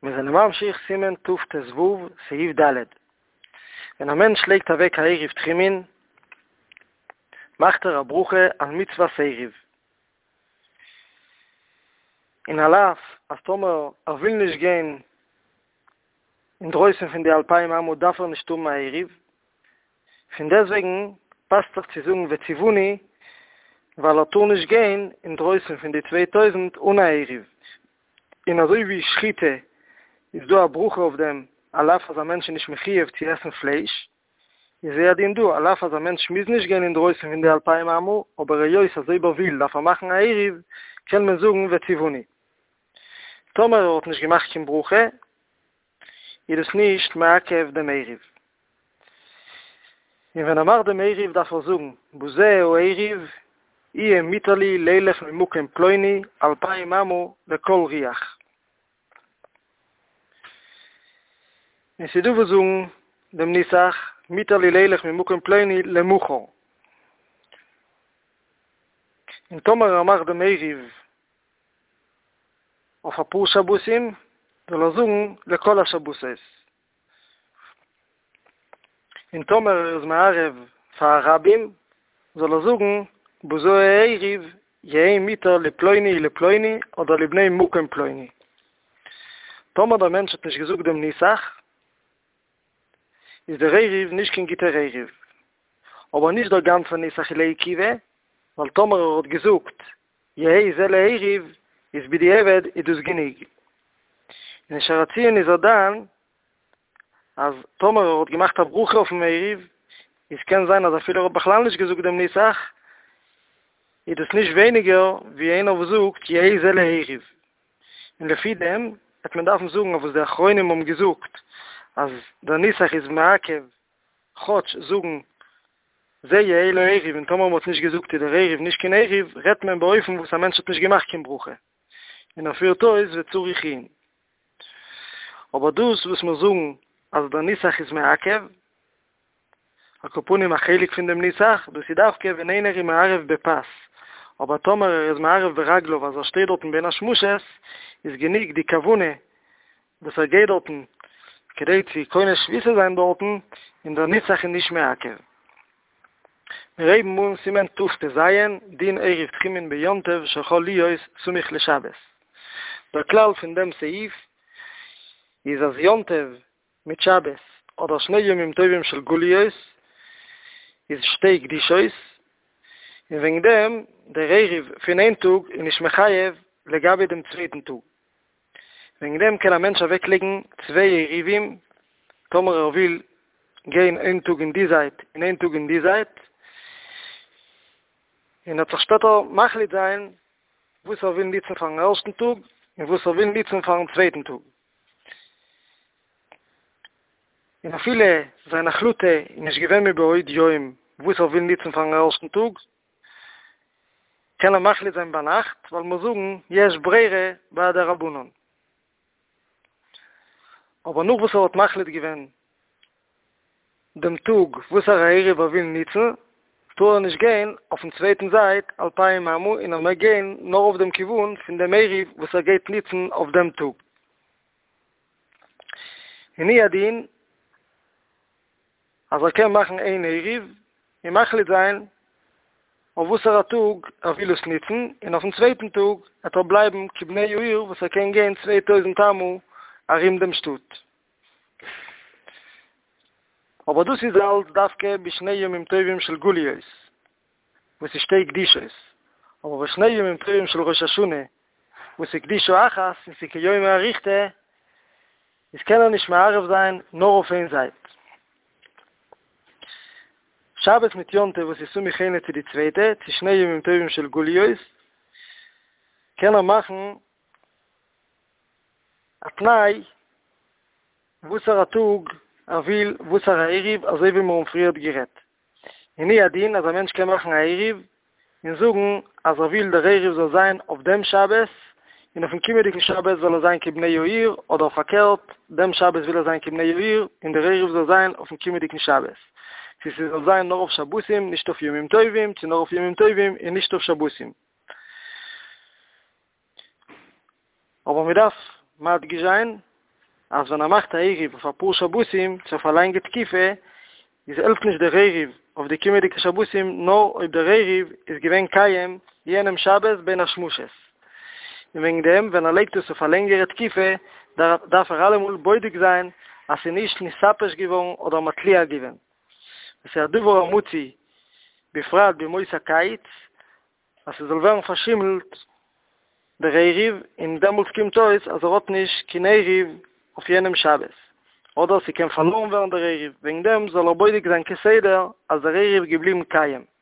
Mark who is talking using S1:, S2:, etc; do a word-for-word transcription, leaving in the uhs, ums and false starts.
S1: מיר זענען ממשיך סימן תט"ו, סעיף ד'. ווען א מענטש לייגט אוועק א עירוב תחומין, מאכט ער א ברכה על מצוות עירוב. און על אף אז טאמער ער וויל נישט גיין אינדרויסן פון די אלפיים אמה דארף ער נישט האבן א עירוב, פון דעסטוועגן פאסט זיך צו זאגן וציווני ווייל ער טאר נישט גיין אינדרויסן פון די צוויי טויזנט אן א עירוב. און אזוי ווי שחיטה איז דא א ברכה אויף דעם על אף אז א מענטש איז נישט מחיוב צו עסן פלייש, איז הוא הדין דא, על אף אז א מענטש מוז נישט גיין אינדרויסן פון די אלפיים אמה, אבער היות אז אויב ער וויל דארף ער מאכן א עירוב, קען מען זאגן וציווני. טאמער ער האט נישט געמאכט קיין ברכה, איז דאס נישט מעכב דעם עירוב. און ווען ער מאכט דעם עירוב דארף ער זאגן, בזה העירוב יהיה מותר לי לילך ממקום פלוני אלפיים אמה לכל רוח. און ס'איז דא וואס זאגן דעם נוסח מותר לי לילך ממקום פלוני למחר. און טאמער ער מאכט דעם עירוב אויף אפאר שבתים, זאל ער זאגן לכל השבתות. און טאמער ער איז מערב פאר א רבים, זאל ער זאגן בזה העירוב יהא מותר לפלוני ולפלוני אדער לבני מקום פלוני. טאמער דער מענטש האט נישט געזאגט דעם נוסח, איז דער עירוב נישט קיין גוטער עירוב. אבער נישט דער גאנצער נוסח איז לעיכובא, ווייל טאמער ער האט געזאגט יהא זה לעירוב, איז בדיעבד איז דאס גענוג. און אין שער הציון איז ער דן אז טאמער ער האט געמאכט א ברכה אויפן עירוב, איז קען זיין אז אפילו ער האט בכלל נישט געזאגט דעם נוסח, איז דאס נישט ווייניגער ווי איינער וואס זאגט יהא זה לעירוב. און לפי דעם וועט מען דארפן זאגן אויף וואס די אחרונים האבן געזאגט אז דער נוסח איז מעכב כאטש זאגן זה יהא לעירוב און טאמער מען האט נישט געזאגט איז דער עירוב נישט קיין עירוב, רעדט מען באופן וואס א מענטש האט נישט געמאכט קיין ברכה און ער פירט אויס וצריך עיון. אבער דאס וואס מיר זאגן אז דער נוסח איז מעכב, על כל פנים א חלק פון דעם נוסח, דאס איז דווקא ווען איינער איז מערב בפת, אבער טאמער ער איז מערב ברגליו אז ער שטייט דארטן בין השמשות, איז גענוג די כוונה וואס ער גייט דארטן כדי צו קונה שביתה זיין דארטן, און דער נוסח איז נישט מעכב. מיר הייבן אן סימן תט"ז, דין עירוב תחומין ביום טוב שחל להיות סמוך לשבת. דער כלל פון דעם סעיף איז אז יום טוב מיט שבת אדער שני ימים טובים של גליות איז שתי קדושות, און וועגן דעם דער עירוב פון איין טאג איז נישט מחייב לגבי דעם צווייטן טאג. וועגן דעם קען א מענטש אוועקלייגן צוויי עירובים טאמער ער וויל גיין איין טאג אין די זייט און איין טאג אין די זייט, און ער וועט זיך שפעטער מחליט זיין וואס ער וויל נוצן פארן ערשטן טאג און וואס ער וויל נוצן פארן צווייטן טאג. און אפילו זיין החלטה איז נישט געווען מבעוד יום וואס ער וויל נוצן פארן ערשטן טאג, קען ער מחליט זיין ביינאכט, ווייל מיר זאגן יש ברירה ביי דרבנן. אבער נאך וואס ער האט מחליט געווען דעם טאג וואסערע עירוב ער וויל נוצן, טאר ער נישט גיין אויפן צווייטן זייט אלפיים אמה און ער מעג גיין נאר אויף דעם כיוון פון דעם עירוב וואס ער גייט נוצן אויף דעם טאג. און הוא הדין אז ער קען מאכן איין עירוב און מחליט זיין אויף וואסערע טאג ער וויל עס נוצן, און אויפן צווייטן טאג וועט ער בלייבן כבני העיר וואס ער קען גיין צוויי טויזנט אמה ארום דעם שטאט. אבער דאס איז אלץ דווקא בשני ימים טובים של גליות, וואס איז שתי קדושות, אבער בשני ימים טובים של ראש השנה, וואס איז קדושה אחת און ס'איז כיומא אריכתא, איז קען ער נישט מערב זיין נאר אויף איין זייט. שבת מיט יום טוב וואס איז סמוך איינע צו די צווייטע, צו שני ימים טובים של גליות, קען ער מאכן א תנאי וואסערע טאג ער וויל וואסערע עירוב, אזוי ווי מיר האבן פריערט גערעדט. און הוא הדין אז א מענטש קען מאכן א עירוב און זאגן אז ער וויל דער עירוב זאל זיין אויף דעם שבת, און אויפן קומענדיגן שבת זאל ער זיין כבני העיר, אדער פארקערט, דעם שבת וויל ער זיין כבני העיר, און דער עירוב זאל זיין אויפן קומענדיגן שבת. צו ס'זאל זיין נאר אויף שבתים, נישט אויף ימים טובים, צו נאר אויף ימים טובים און נישט אויף שבתים. אבער מ'דארף מדגיש זיין אז ווען ער מאכט א עירוב אויף אפאר שבתים צו אויף א לאנגע תקופה, איז העלפט נישט דער עירוב אויף די קומעדיגע שבתים נאר אויב דער עירוב איז געווען קיים יענעם שבת בין השמשות. און וועגן דעם ווען ער לייגט עס אויף א לענגערע תקופה דארף ער אלעמאל בודק זיין אז ס'איז נישט נתעפש געווארן אדער מתליע געווען. וואס איז א דבר המצוי בפרט בימות הקיץ אז ס'זאל ווערן פארשימלט דער עירוב און דעמאלטס קומט אויס אז ער האט נישט קיין עירוב אויף יענעם שבת, אדער ס'קען פארלארן ווערן דער עירוב, וועגן דעם זאל ער בודק זיין כסדר אז דער עירוב איז געבליבן קיים.